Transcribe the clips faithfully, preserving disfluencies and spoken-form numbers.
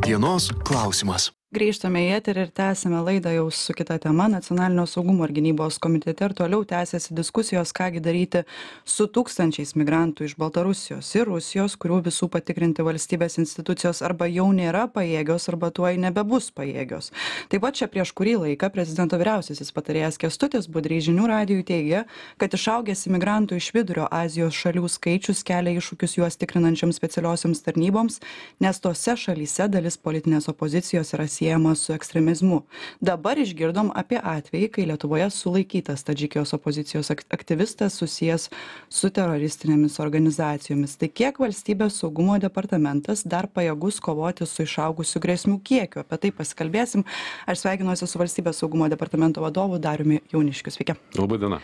Dienos klausimas. Grįžtame į eterį ir tęsime laidą jau su kita tema. Nacionalinio saugumo ir gynybos komitete ir toliau tęsiasi diskusijos, kągi daryti su tūkstančiais migrantų iš Baltarusijos ir Rusijos, kurių visų patikrinti valstybės institucijos arba jau nėra pajėgios, arba tuoj nebebus pajėgios. Taip pat čia prieš kurį laiką prezidento vyriausiasis patarėjas Kęstutis Budrys žinių radijui teigė, kad išaugęs imigrantų iš Vidurio Azijos šalių skaičius kelia iššūkius juos tikrinančioms specialiosioms tarnyboms, nes tose šalyse dalis politinės opozicijos yra siejama su ekstremizmu. Dabar išgirdom apie atvejį, kai Lietuvoje sulaikytas Tadžikijos opozicijos aktyvistas susijęs su teroristinėmis organizacijomis. Tai kiek valstybės saugumo departamentas dar pajėgus kovoti su išaugusiu grėsmių kiekiu? Apie tai pasikalbėsim. Aš sveikinuosi su valstybės saugumo departamento vadovu Dariumi Jauniškiu. Sveiki. Labai diena.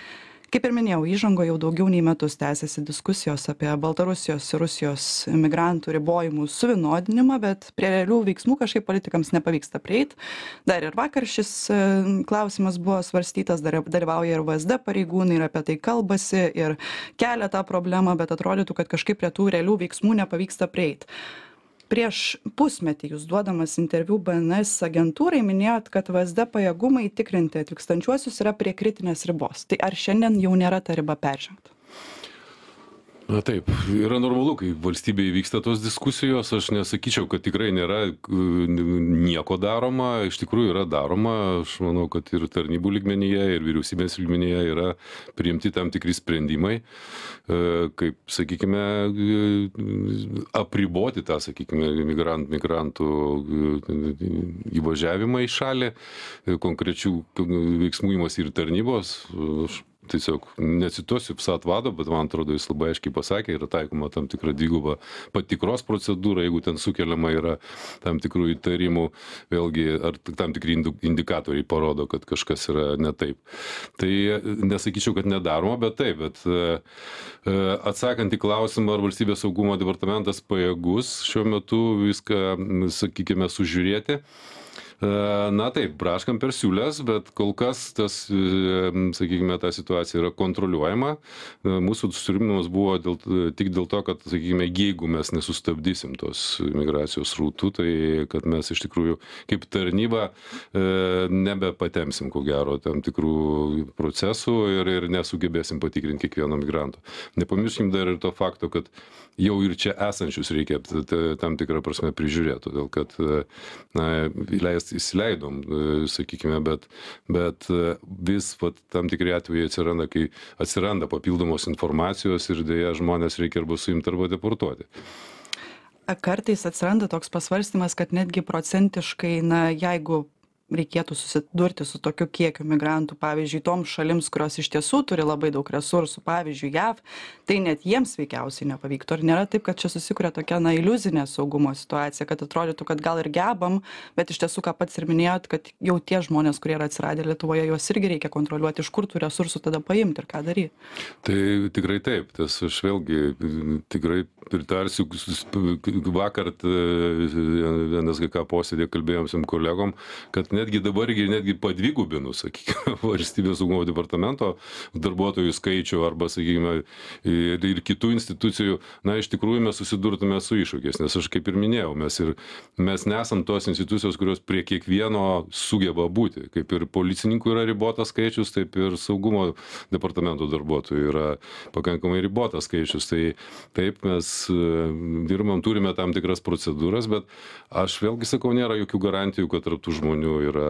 Kaip ir minėjau, įžango jau daugiau nei metus tęsiasi diskusijos apie Baltarusijos ir Rusijos migrantų ribojimų suvienodinimą, bet prie realių veiksmų kažkaip politikams nepavyksta prieiti. Dar ir vakar šis klausimas buvo svarstytas, dar dalyvauja ir V S D pareigūnai ir apie tai kalbasi ir kelia tą problemą, bet atrodytų, kad kažkaip prie tų realių veiksmų nepavyksta prieiti. Prieš pusmetį jūs duodamas interviu B N S agentūrai minėjot, kad V S D pajėgumai tikrinti atvykstančiuosius yra prie kritinės ribos. Tai ar šiandien jau nėra ta riba peržengta? Na taip, yra normalu, kai valstybėje vyksta tos diskusijos, aš nesakyčiau, kad tikrai nėra nieko daroma, iš tikrųjų yra daroma, aš manau, kad ir tarnybų lygmenyje, ir vyriausybės lygmenyje yra priimti tam tikri sprendimai, kaip, sakykime, apriboti tą, sakykime, migrant, migrantų įvažiavimą į šalį, konkrečių veiksmų imasi ir tarnybos. Aš tiesiog necituosiu PSAT vado, bet man atrodo, jis labai aiškiai pasakė, yra taikoma tam tikra dviguba patikros procedūra, jeigu ten sukeliama yra tam tikrų įtarimų, vėlgi, ar tam tikri indikatoriai parodo, kad kažkas yra ne taip. Tai nesakyčiau, kad nedaroma, bet taip, bet atsakant į klausimą, ar valstybės saugumo departamentas pajėgus šiuo metu viską, sakykime, sužiūrėti. Na taip, braškam per siūlės, bet kol kas tas, sakykime, ta situacija yra kontroliuojama. Mūsų susirūpinimas buvo dėl, tik dėl to, kad, sakykime, jeigu mes nesustabdysim tos migracijos rautų, tai kad mes iš tikrųjų kaip tarnyba nebepatemsim, ko gero, tam tikrų procesų ir, ir nesugebėsim patikrinti kiekvieno migranto. Nepamirškim dar ir to fakto, kad jau ir čia esančius reikia tam tikrą prasme prižiūrėti, todėl kad na, įleist, įsileidom, sakykime, bet, bet vis vat, tam tikri atvejai atsiranda, kai atsiranda papildomos informacijos ir dėja žmonės reikia arba suimti, arba deportuoti. Kartais atsiranda toks pasvarstymas, kad netgi procentiškai, na, jeigu reikėtų susidurti su tokiu kiekiu migrantų, pavyzdžiui, toms šalims, kurios iš tiesų turi labai daug resursų, pavyzdžiui, J A V, tai net jiems veikiausiai nepavyktų. Ar nėra taip, kad čia susikuria tokia, na, iliuzinė saugumo situacija, kad atrodytų, kad gal ir gebam, bet iš tiesų, ką pats ir minėjot, kad jau tie žmonės, kurie yra atsiradę Lietuvoje, juos irgi reikia kontroliuoti, iš kur tų resursų tada paimti ir ką daryti? Tai tikrai taip, tas aš vėlgi tikrai pritarsiu, vakar N S G K posėdė kalbėjom su kolegom, kad netgi dabar ir netgi padvigubinų, sakykime, valstybės saugumo departamento darbuotojų skaičių arba, sakykime, ir, ir kitų institucijų, na, iš tikrųjų mes susidurtume su iššūkiais, nes aš kaip ir minėjau, mes, ir, mes nesam tos institucijos, kurios prie kiekvieno sugeba būti, kaip ir policininkų yra ribotas skaičius, taip ir saugumo departamento darbuotojų yra pakankamai ribotas skaičius, tai taip mes dirbam, turime tam tikras procedūras, bet aš vėlgi sakau, nėra jokių garantijų, kad tarp tų žmonių yra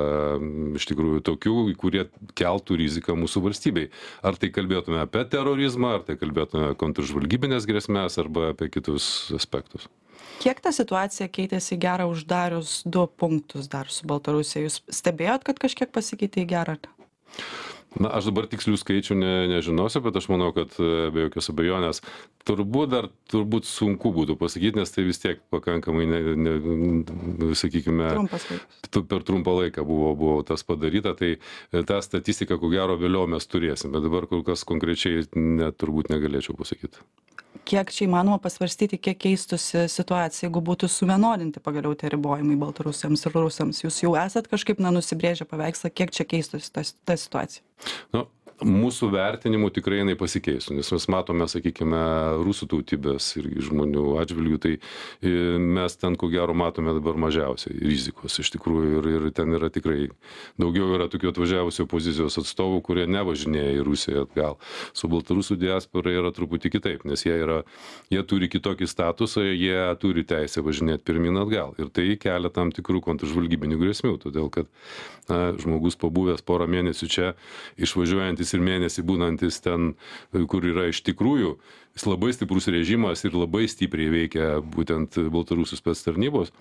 iš tikrųjų tokių, kurie keltų riziką mūsų valstybei. Ar tai kalbėtume apie terorizmą, ar tai kalbėtume kontržvalgybinės grėsmės, arba apie kitus aspektus. Kiek ta situacija keitėsi į gerą uždarius du punktus dar su Baltarusija? Jūs stebėjot, kad kažkiek pasikeitė į gerą? Na, aš dabar tikslių skaičių ne, nežinosiu, bet aš manau, kad be jokios abejonės turbūt dar turbūt sunku būtų pasakyti, nes tai vis tiek pakankamai, ne, ne, sakykime, per trumpą laiką buvo, buvo tas padaryta, tai tą statistiką, ko gero, vėliau mes turėsim, bet dabar kol kas konkrečiai net turbūt negalėčiau pasakyti. Kiek čia įmanoma pasvarstyti, kiek keistųsi situacija, jeigu būtų suvienodinti pagaliau tie ribojimai baltarusiams ir rusams? Jūs jau esat kažkaip na, nusibrėžę paveikslą, kiek čia keistųsi ta, ta situacija? Nu, mūsų vertinimu tikrai jinai pasikeistų, nes mes matome, sakykime, rusų tautybės irgi žmonių atžvilgių, tai mes ten ko gero matome dabar mažiausiai rizikos iš tikrųjų ir, ir ten yra tikrai daugiau yra tokių atvažiavusių opozicijos atstovų, kurie nevažinėja į Rusiją atgal. Su baltarusų diaspora yra truputį kitaip, nes jie, yra, jie turi kitokį statusą, jie turi teisę važinėti pirmin atgal ir tai kelia tam tikrų kontržvalgybinių grėsmių, todėl kad na, žmogus pabuvęs porą mėnesių čia, išvažiuojantis ir mėnesį būnantis ten, kur yra iš tikrųjų jis labai stiprus režimas ir labai stipriai veikia būtent baltarusių spec tarnybos,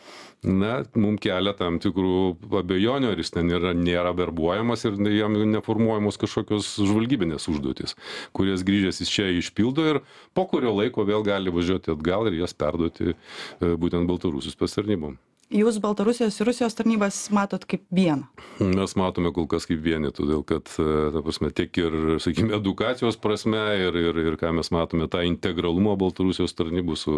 na, mums kelia tam tikrų abejonių, ar jis ten yra, nėra verbuojamas ir jam neformuojamos kažkokios žvalgybinės užduotis, kurias grįžęs jis čia išpildo ir po kurio laiko vėl gali važiuoti atgal ir jas perduoti būtent baltarusių spec tarnybom. Jūs Baltarusijos ir Rusijos tarnybas matot kaip vieną? Mes matome kol kas kaip vieni, todėl kad, ta prasme, tiek ir, sakykime, edukacijos prasme ir, ir, ir ką mes matome, tą integralumą Baltarusijos tarnybų su,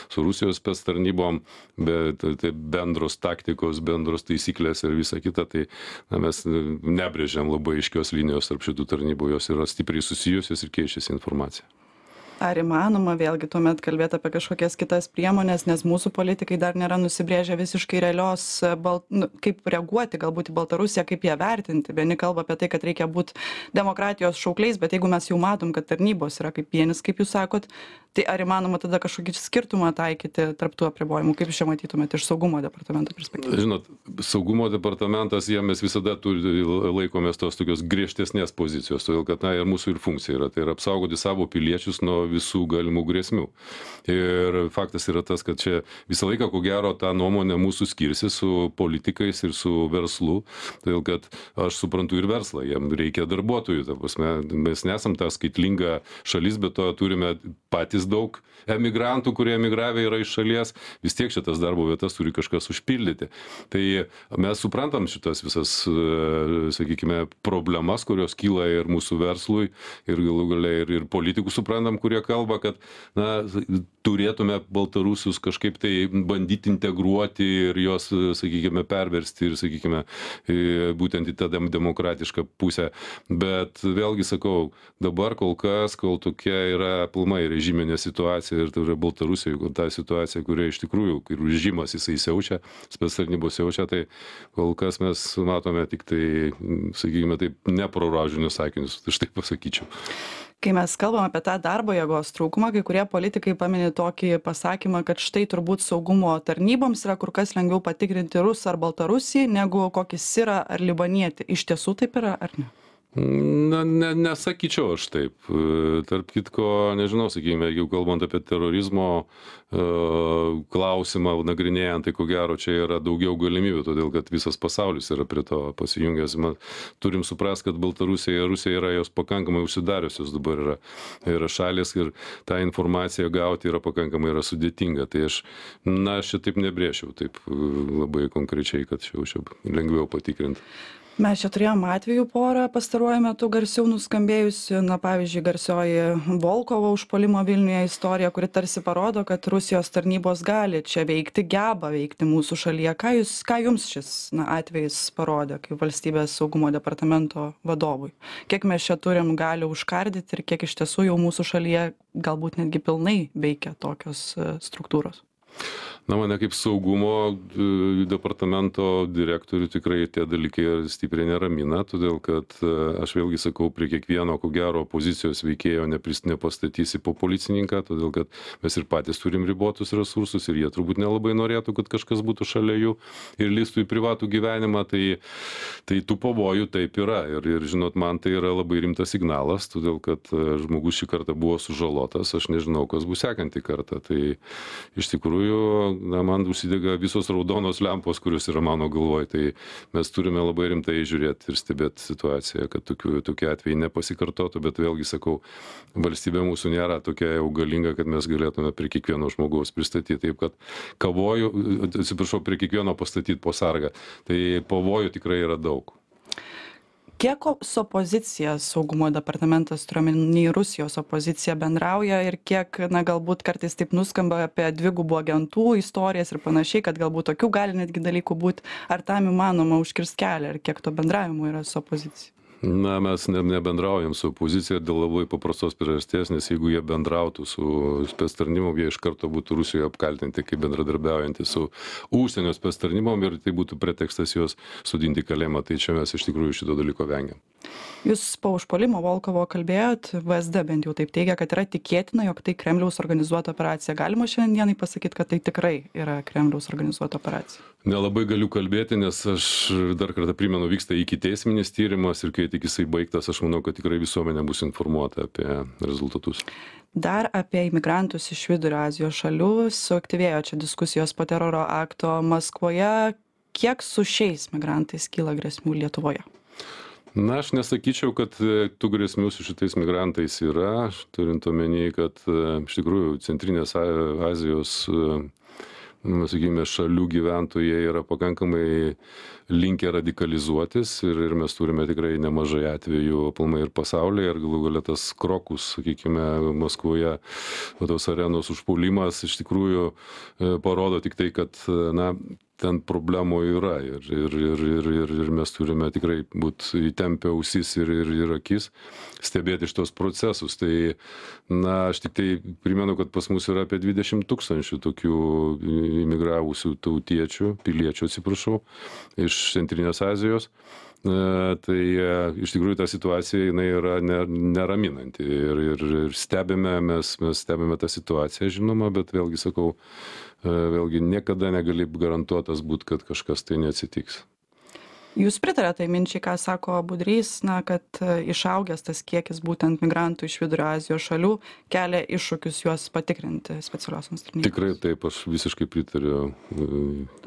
su Rusijos spec tarnybom, bet tai bendros taktikos, bendros taisyklės ir visa kita, tai na, mes nebrėžiam labai aiškios linijos tarp šitų tarnybų, jos yra stipriai susijusios ir keičiasi informacija. Ar įmanoma vėlgi tuomet kalbėti apie kažkokias kitas priemonės, nes mūsų politikai dar nėra nusibrėžę visiškai realios, bal, nu, kaip reaguoti galbūt į Baltarusiją, kaip ją vertinti. Vieni kalba apie tai, kad reikia būti demokratijos šaukliais, bet jeigu mes jau matom, kad tarnybos yra kaip vienis, kaip jūs sakot, tai ar įmanoma tada kažkokį skirtumą taikyti tarp tų apribojimų, kaip jūs čia matytumėte iš saugumo departamento perspektyvos? Žinot, saugumo departamentas, jie mes visada turi, laikomės tos tokios griežtesnės pozicijos, todėl kad na, ir mūsų ir funkcija yra, tai yra apsaugoti savo piliečius nuo visų galimų grėsmių. Ir faktas yra tas, kad čia visą laiką, ko gero, tą nuomonę mūsų skirsi su politikais ir su verslu, todėl kad aš suprantu ir verslą, jam reikia darbuotojų, ta prasme, mes nesam ta skaitlinga šalis, bet to turime patys daug emigrantų, kurie emigravę yra iš šalies, vis tiek šitas darbo vietas turi kažkas užpildyti. Tai mes suprantam šitas visas, sakykime, problemas, kurios kyla ir mūsų verslui, ir galų gale ir, ir politikų suprantam, kurie kalba, kad na, turėtume baltarusius kažkaip tai bandyti integruoti ir juos, sakykime, perversti ir, sakykime, būtent į tą demokratišką pusę. Bet vėlgi sakau, dabar kol kas, kol tokia yra pilnai režiminė situacija ir tai yra Baltarusijoje, ta situacija, kuria iš tikrųjų, kai režimas jisai siaučia, spec tarnybos siaučia, tai kol kas mes matome tik tai, sakykime, taip, neproražinius sakinius, tai štai pasakyčiau. Kai mes kalbam apie tą darbo jėgos trūkumą, kai kurie politikai pamini tokį pasakymą, kad štai turbūt saugumo tarnyboms yra kur kas lengviau patikrinti rusą ar baltarusį, negu kokį sirą ar libanietį. Iš tiesų taip yra, ar ne? Na, ne, nesakyčiau aš taip. Tarp kitko, nežinau, sakykime, jeigu kalbant apie terorizmo uh, klausimą nagrinėjant, tai ko gero čia yra daugiau galimybių, todėl kad visas pasaulis yra prie to pasijungęs. Mes turim suprasti, kad Baltarusija ir Rusija yra jos pakankamai užsidariusios dabar yra, yra šalis ir tą informaciją gauti yra pakankamai yra sudėtinga. Tai aš, na, aš čia taip nebrėšiau, taip labai konkrečiai, kad čia jau lengviau patikrinti. Mes čia turėjom atvejų porą pastaruoju metu garsiau nuskambėjusi, na pavyzdžiui, garsioji Volkovo užpuolimo Vilniuje istorija, kuri tarsi parodo, kad Rusijos tarnybos gali čia veikti, geba veikti mūsų šalyje. Ką, jūs, ką jums šis na, atvejis parodė kaip valstybės saugumo departamento vadovui? Kiek mes čia turim gali užkardyti ir kiek iš tiesų jau mūsų šalyje galbūt netgi pilnai veikia tokios struktūros? Na, mane kaip saugumo departamento direktorių tikrai tie dalykai stipriai neramina, todėl kad aš vėlgi sakau, prie kiekvieno, ko gero, opozicijos veikėjo nepastatysi po policininką, todėl kad mes ir patys turim ribotus resursus ir jie turbūt nelabai norėtų, kad kažkas būtų šalia jų ir listų į privatų gyvenimą, tai, tai tų pavojų taip yra. Ir, ir žinot, man tai yra labai rimtas signalas, todėl kad žmogus šį kartą buvo sužalotas, aš nežinau, kas bus sekantį kartą. Tai iš tikrųjų, na, man užsidega visos raudonos lempos, kurios yra mano galvoj, tai mes turime labai rimtai žiūrėti ir stebėti situaciją, kad tokių, tokie atvejai nepasikartotų, bet vėlgi sakau, valstybė mūsų nėra tokia jau galinga, kad mes galėtume prie kiekvieno žmogaus pristatyti, taip kad kavoju, atsiprašau, prie kiekvieno pastatyti po sargą, tai pavojų tikrai yra daug. Kiek su opozicija saugumo departamentas, turiuomenį Rusijos opoziciją, bendrauja ir kiek, na, galbūt kartais taip nuskamba apie dvigubų agentų istorijas ir panašiai, kad galbūt tokių gali netgi dalykų būti, ar tam įmanoma užkirsti kelią ir kiek to bendravimo yra su opozicija? Na, mes ne, nebendraujam su opozicija dėl labai paprastos priežasties, nes jeigu jie bendrautų su spec tarnybom, jie iš karto būtų Rusijoje apkaltinti kaip bendradarbiaujantys su užsienio spec tarnybom ir tai būtų pretekstas juos sudinti kalėjimą. Tai čia mes iš tikrųjų šito dalyko vengiam. Jūs po užpuolimo Volkovo kalbėjot, V S D bent jau taip teigia, kad yra tikėtina, jog tai Kremliaus organizuota operacija. Galima šiandienai pasakyti, kad tai tikrai yra Kremliaus organizuota operacija? Nelabai galiu kalbėti, nes aš dar kartą primenu, vyksta ikiteisminis tyrimas ir kai tik jisai baigtas, aš manau, kad tikrai visuomenė bus informuota apie rezultatus. Dar apie imigrantus iš Vidurio Azijos šalių. Suaktyvėjo čia diskusijos po teroro akto Maskvoje. Kiek su šiais migrantais kyla grėsmių Lietuvoje? Na, aš nesakyčiau, kad tų grėsmių su šitais migrantais yra, turint omeny, kad iš tikrųjų Centrinės Azijos, sakykime, šalių gyventojai yra pakankamai linkę radikalizuotis ir, ir mes turime tikrai nemažai atvejų aplamai ir pasaulyje ir galų gale tas Krokus, sakykime, Maskvoje, tos arenos užpuolimas iš tikrųjų parodo tik tai, kad, na, ten problemų yra ir, ir, ir, ir, ir, ir mes turime tikrai būti įtempę ausis ir, ir, ir akis, stebėti šitos procesus. Tai, na, aš tik tai primenu, kad pas mus yra apie dvidešimt tūkstančių tokių imigravusių tautiečių, piliečių, atsiprašau, iš Centrinės Azijos. Tai iš tikrųjų ta situacija jinai yra neraminanti ir, ir, ir stebime, mes, mes stebime tą situaciją, žinoma, bet vėlgi sakau, vėlgi niekada negali garantuotas būt, kad kažkas tai neatsitiks. Jūs pritarėte tai minčiai, ką sako Budrys, na, kad išaugęs tas kiekis būtent migrantų iš Vidurio Azijos šalių kelia iššūkius juos patikrinti specialiosioms tarnyboms? Tikrai taip, aš visiškai pritariu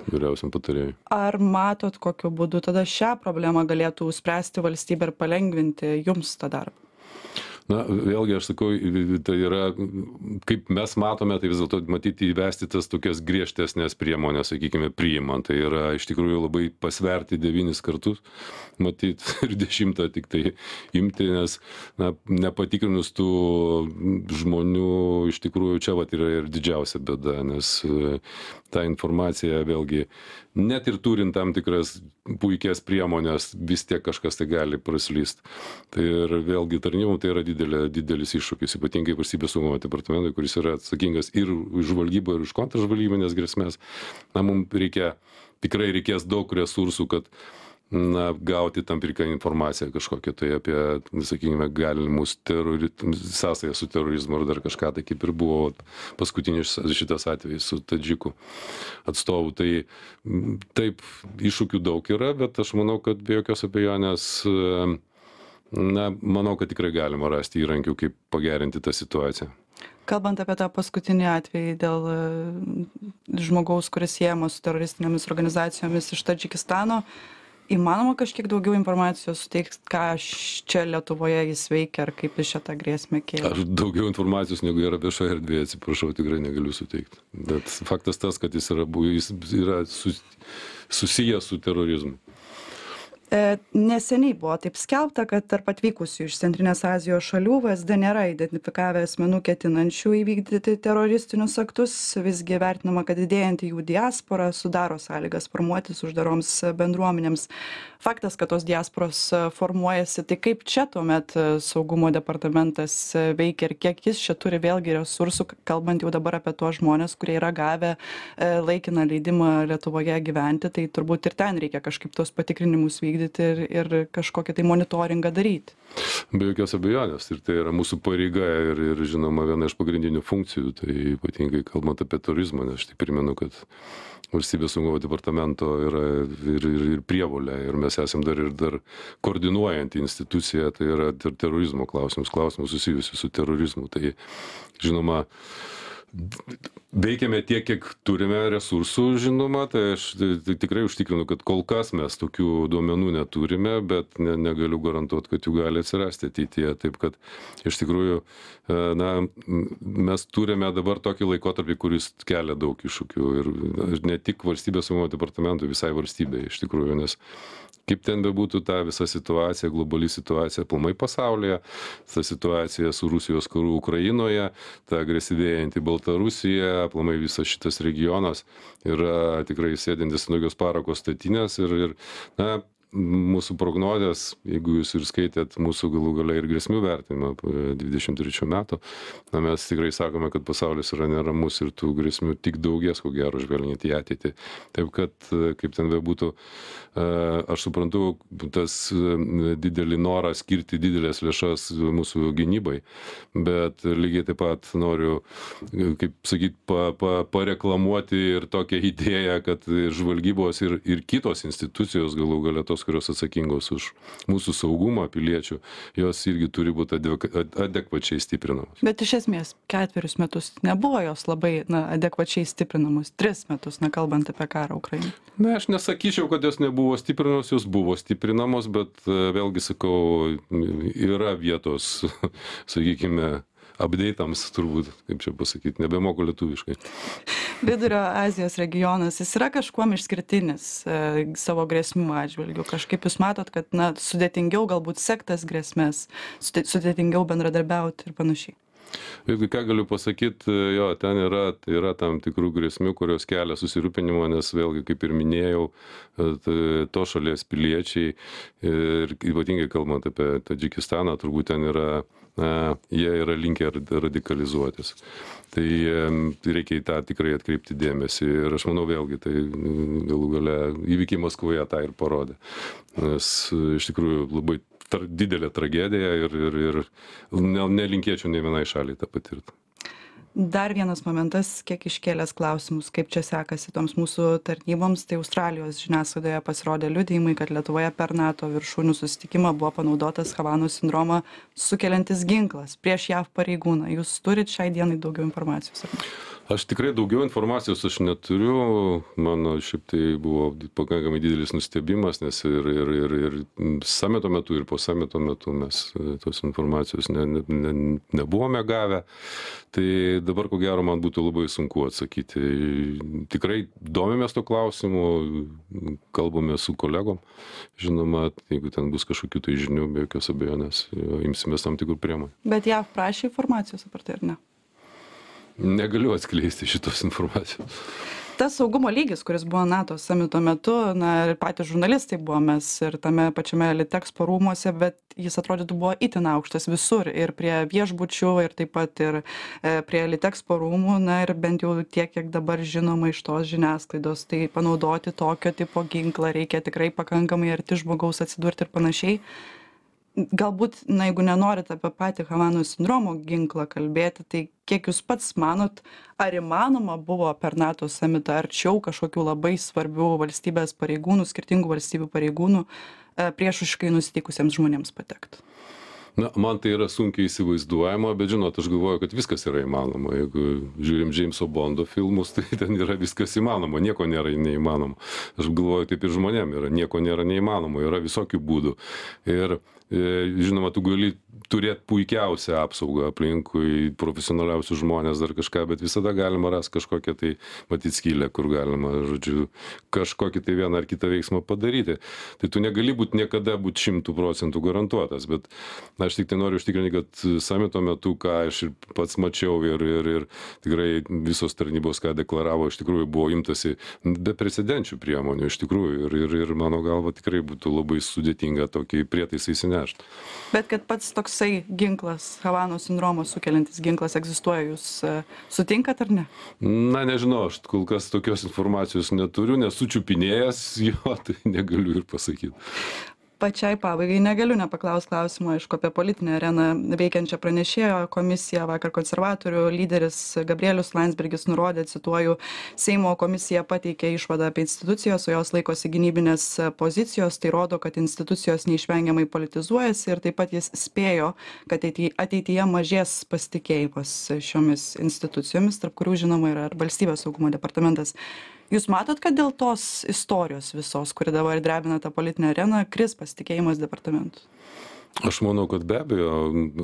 vyriausiam patarėjui. Ar matot, kokiu būdu tada šią problemą galėtų spręsti valstybė ir palengvinti jums tą darbą? Na, vėlgi, aš sakau, tai yra, kaip mes matome, tai vis dėlto matyti įvesti tas tokias griežtesnės priemonės, sakykime, priimant. Tai yra iš tikrųjų labai pasverti devynis kartus, matyti ir dešimtą tik tai imti, nes, na, nepatikrinus tų žmonių, iš tikrųjų čia vat yra ir didžiausia bėda, nes ta informacija vėlgi, net ir turint tam tikras puikias priemonės, vis tiek kažkas tai gali praslyst. Tai ir vėlgi tarnybom tai yra didelė, didelis iššūkis, ypatingai valstybės saugumo departamentui, kuris yra atsakingas ir už žvalgybą, ir už kontržvalgybinės grėsmės. Na, mums reikia, tikrai reikės daug resursų, kad na, gauti tam tikrą informaciją kažkokią tai apie, sakykime, galimus terori... sąsają su terorizmu ar dar kažką, tai kaip ir buvo paskutinis šitas atvejis su Tadžikų atstovu. Tai taip, iššūkių daug yra, bet aš manau, kad be jokios abejonės, na, manau, kad tikrai galima rasti įrankių, kaip pagerinti tą situaciją. Kalbant apie tą paskutinį atvejį dėl žmogaus, kuris siejamas su teroristinėmis organizacijomis iš Tadžikistano, įmanoma kažkiek daugiau informacijos suteikti, ką čia Lietuvoje jis veikia ar kaip jis čia tą grėsmę kėlė? Aš daugiau informacijos negu yra viešoje erdvėje, atsiprašau, tikrai negaliu suteikti. Bet faktas tas, kad jis yra, jis yra susijęs su terorizmu. E, neseniai buvo taip skelbta, kad tarp atvykusių iš Centrinės Azijos šalių V S D nėra identifikavę asmenų ketinančių įvykdyti teroristinius aktus, visgi vertinama, kad didėjanti jų diaspora sudaro sąlygas formuotis uždaroms bendruomenėms. Faktas, kad tos diasporos formuojasi, tai kaip čia tuomet saugumo departamentas veikia ir kiek jis čia turi vėlgi resursų, kalbant jau dabar apie tuos žmonės, kurie yra gavę laikiną leidimą Lietuvoje gyventi, tai turbūt ir ten reikia kažkaip tos patikrinimus vykdyti ir, ir kažkokį tai monitoringą daryti. Be jokios abejonės, ir tai yra mūsų pareiga ir, ir žinoma viena iš pagrindinių funkcijų, tai ypatingai kalbant apie turizmą, nes aš tai primenu, kad valstybės saugumo departamento yra ir, ir, ir prievolė, ir mes esam dar ir dar koordinuojanti institucija, tai yra ter terorizmo klausimus, klausimus susijusius su terorizmu. Tai žinoma, veikiame tiek, kiek turime resursų, žinoma, tai aš tai tikrai užtikrinu, kad kol kas mes tokių duomenų neturime, bet ne, negaliu garantuoti, kad jų gali atsirasti ateityje. Taip kad iš tikrųjų, na, mes turime dabar tokį laikotarpį, kuris kelia daug iššūkių ir ne tik valstybės saugumo departamentui, visai valstybei iš tikrųjų, nes kaip ten bebūtų ta visa situacija, globali situacija aplamai pasaulyje, ta situacija su Rusijos karu Ukrainoje, ta agresyvėjanti Baltarusija, aplamai visas šitas regionas yra tikrai sėdintis ant tokios parako statinės ir, ir na, mūsų prognozės, jeigu jūs ir skaitėt mūsų galų gale ir grėsmių vertinimą dvidešimt trečių metų, na, mes tikrai sakome, kad pasaulis yra neramus ir tų grėsmių tik daugės, ko gero, žvelgiant į ateitį. Taip kad, kaip ten bebūtų, aš suprantu tas didelį norą skirti didelės lėšas mūsų gynybai, bet lygiai taip pat noriu, kaip sakyt, pa, pa, pareklamuoti ir tokią idėją, kad žvalgybos ir, ir kitos institucijos, galų gale tos, kurios atsakingos už mūsų saugumą piliečių, jos irgi turi būti adekvačiai stiprinamos. Bet iš esmės ketverius metus nebuvo jos labai na, adekvačiai stiprinamos. Tris metus, na, kalbant apie karą Ukrainoje. Na, aš nesakyčiau, kad jos nebuvo stiprinamos, jos buvo stiprinamos, bet vėlgi sakau, yra vietos, sakykime, update'ams turbūt, kaip čia pasakyti, nebemoku lietuviškai. Vidurio Azijos regionas, jis yra kažkuom išskirtinis e, savo grėsmių atžvilgių. Kažkaip jūs matot, kad na, sudėtingiau galbūt sektas grėsmės, sudėtingiau bendradarbiauti ir panašiai. Jeigu ką galiu pasakyti, jo, ten yra, tai yra tam tikrų grėsmių, kurios kelia susirūpinimą, nes vėlgi, kaip ir minėjau, to šalies piliečiai ir ypatingai kalbant apie Tadžikistaną, turbūt ten yra, na, jie yra linkę radikalizuotis. Tai, tai reikia į tą tikrai atkreipti dėmesį ir aš manau vėlgi, tai galų gale įvykiai Maskvoje tą ir parodė. Nes iš tikrųjų labai tar, didelė tragedija ir, ir, ir ne, nelinkėčiau nei vienai šaliai tą patirti. Dar vienas momentas, kiek iškėlęs klausimus, kaip čia sekasi toms mūsų tarnyboms, tai Australijos žiniasklaidoje pasirodė liudijimai, kad Lietuvoje per NATO viršūnių susitikimą buvo panaudotas Havanos sindromą sukeliantis ginklas prieš JAV pareigūną. Jūs turit šiai dienai daugiau informacijos? Ar ne? Aš tikrai daugiau informacijos aš neturiu, mano šiaip tai buvo pakankamai didelis nustebimas, nes ir, ir, ir, ir samito metu, ir po samito metu mes tos informacijos ne, ne, ne, nebuvome gavę, tai dabar ko gero man būtų labai sunku atsakyti. Tikrai domimės to klausimu, kalbame su kolegom, žinoma, jeigu ten bus kažkokių tai žinių, be jokios abejonės, imsimės tam tikrų priemonių. Bet JAV prašė informacijos apie tai, ar ne? Negaliu atskleisti šitos informacijos. Tas saugumo lygis, kuris buvo NATO samito metu, na ir patys žurnalistai buvomės ir tame pačiame Litexpo rūmuose, bet jis atrodytų buvo itin aukštas visur ir prie viešbučių ir taip pat ir e, prie Litexpo rūmų, na ir bent jau tiek, kiek dabar žinoma iš tos žiniasklaidos, tai panaudoti tokio tipo ginklą reikia tikrai pakankamai arti žmogaus atsidurti ir panašiai. Galbūt, na, jeigu nenorit apie patį Havanos sindromo ginklą kalbėti, tai kiek jūs pats manot, ar įmanoma buvo per NATO samitą arčiau kažkokių labai svarbių valstybės pareigūnų, skirtingų valstybių pareigūnų priešiškai nusiteikusiems žmonėms patekti? Na, man tai yra sunkiai įsivaizduojama, bet žinot, aš galvoju, kad viskas yra įmanoma. Jeigu žiūrim Jameso Bondo filmus, tai ten yra viskas įmanoma, nieko nėra neįmanoma. Aš galvoju, taip ir žmonėm yra, nieko nėra neįmanoma, yra visokių būdų. Ir žinoma, tu gali turėti puikiausią apsaugą aplinkui, profesionaliausius žmonės dar kažką, bet visada galima rasti kažkokią tai matyti skylę, kur galima, žodžiu, kažkokį tai vieną ar kitą veiksmą padaryti. Tai tu negali būti niekada būti šimtų procentų garantuotas, bet aš tik tai noriu užtikrinti, kad samito metu, ką aš ir pats mačiau ir, ir, ir tikrai visos tarnybos, ką deklaravo, iš tikrųjų buvo imtasi beprecedenčių priemonių, iš tikrųjų, ir, ir, ir mano galva tikrai būtų labai sudėtinga tokį prietaisą įsinešti. Bet kad pats toksai ginklas, Havanos sindromo sukeliantis ginklas egzistuoja, jūs sutinkat ar ne? Na, nežinau, aš kol kas tokios informacijos neturiu, nesu čiupinėjęs jo, tai negaliu ir pasakyti. Pačiai pabaigai negaliu nepaklaust klausimo, aišku, apie politinę areną veikiančią pranešėjo komisiją. Vakar konservatorių lyderis Gabrielius Landsbergis nurodė, cituoju, Seimo komisija pateikė išvadą apie institucijos, o jos laikosi gynybinės pozicijos. Tai rodo, kad institucijos neišvengiamai politizuojasi ir taip pat jis spėjo, kad ateityje mažės pasitikėjimas šiomis institucijomis, tarp kurių žinoma yra ir Valstybės saugumo departamentas. Jūs matot, kad dėl tos istorijos visos, kuri dabar drebina tą politinę areną, kris pasitikėjimas departamentu? Aš manau, kad be abejo,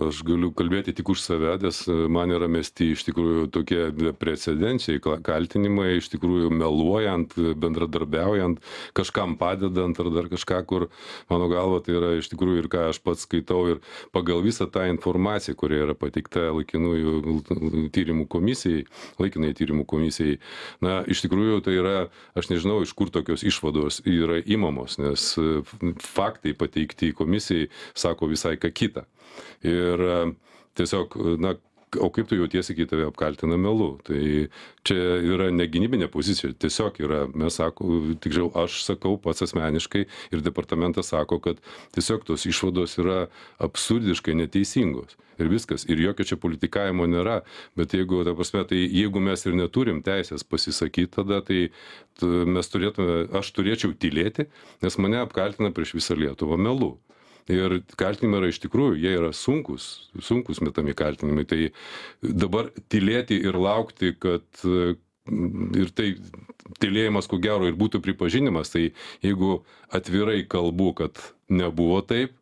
aš galiu kalbėti tik už save, nes man yra mesti iš tikrųjų tokie precedenčiai kaltinimai, iš tikrųjų meluojant, bendradarbiaujant, kažkam padedant ar dar kažką, kur mano galva tai yra iš tikrųjų ir ką aš pats skaitau ir pagal visą tą informaciją, kuri yra pateikta laikinųjų tyrimų komisijai, laikinai tyrimų komisijai. Na, iš tikrųjų tai yra, aš nežinau, iš kur tokios išvados yra imamos, nes faktai pateikti komisijai sako visai ką kitą. Ir tiesiog, na, o kaip tu jautiesi, kai tave apkaltina melu? Tai čia yra ne gynybinė pozicija, tiesiog yra, mes sako, tikriau aš sakau pats asmeniškai ir departamentas sako, kad tiesiog tos išvados yra absurdiškai neteisingos. Ir viskas, ir jokio čia politikavimo nėra, bet jeigu, ta prasme, tai jeigu mes ir neturim teisės pasisakyti, tada tai mes turėtume, aš turėčiau tylėti, nes mane apkaltina prieš visą Lietuvą melu. Ir kaltinimai yra iš tikrųjų, jie yra sunkus, sunkus metami kaltinimai. Tai dabar tylėti ir laukti, kad ir tai tylėjimas, ko gero, ir būtų pripažinimas, tai jeigu atvirai kalbu, kad nebuvo taip,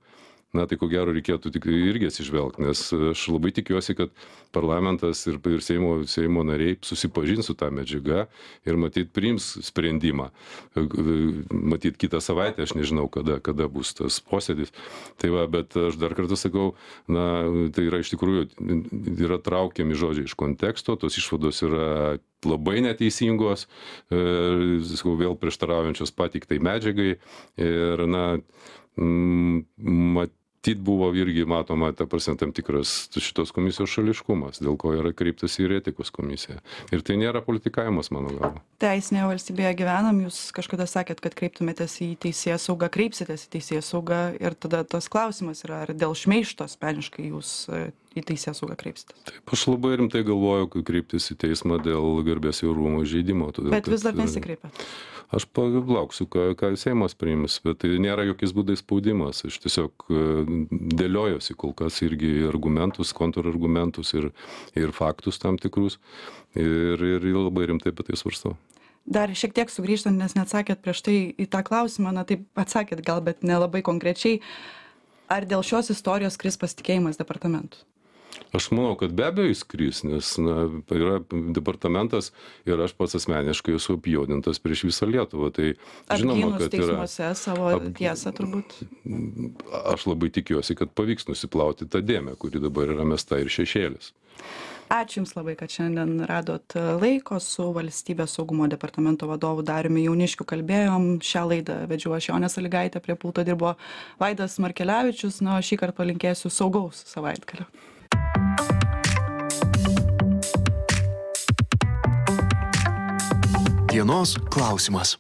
na tai ko gero reikėtų tik irgi atsižvelgti, nes aš labai tikiuosi, kad parlamentas ir, ir Seimo, Seimo nariai susipažins su tą medžiagą ir matyt priims sprendimą. Matyt kitą savaitę, aš nežinau, kada, kada bus tas posėdis. Tai va, bet aš dar kartą sakau, na, tai yra iš tikrųjų, yra traukiami žodžiai iš konteksto, tos išvados yra labai neteisingos, e, sakau, vėl prieštaraujančios pateiktai medžiagai ir, na, mat, Matyt buvo irgi matoma, ta prasme, tam tikras šitos komisijos šališkumas, dėl ko yra kreiptas į etikos komisiją. Ir tai nėra politikavimas, mano galva. Teisinėje valstybėje gyvenam, jūs kažkada sakėt, kad kreiptumėtės į teisėsaugą, kreipsitės į teisėsaugą ir tada tas klausimas yra, ar dėl šmeižto asmeniškai jūs į teisėsaugą kreipsitės. Taip, aš labai rimtai galvoju, kai kreiptis į teismą dėl garbės ir orumo žeidimo. Todėl, bet vis dar nesikreipėt. Aš palauksiu, ką, ką Seimas priims, bet tai nėra jokiais būdais spaudimas. Aš tiesiog dėliojosi kol kas irgi argumentus, kontrargumentus ir, ir faktus tam tikrus ir, ir labai rimtai apie tai svarstau. Dar šiek tiek sugrįžtant, nes neatsakėt prieš tai į tą klausimą, na taip atsakėt gal, bet nelabai konkrečiai. Ar dėl šios istorijos kris pasitikėjimas departamentu? Aš manau, kad be abejo jis kris, nes na, yra departamentas ir aš pats asmeniškai esu apjuodintas prieš visą Lietuvą. Tai žinoma, kad teismuose yra, savo ap, tiesą turbūt. Aš labai tikiuosi, kad pavyks nusiplauti tą dėmę, kuri dabar yra mesta ir šešėlis. Ačiū Jums labai, kad šiandien radot laiko. Su Valstybės saugumo departamento vadovu Dariumi Jauniškiu kalbėjom. Šią laidą vedžiau aš, Jonė Salygaitė, prie pulto dirbo Vaidas Markelevičius. Na, šį kartą palinkėsiu saugaus savaitgalio. Dienos klausimas.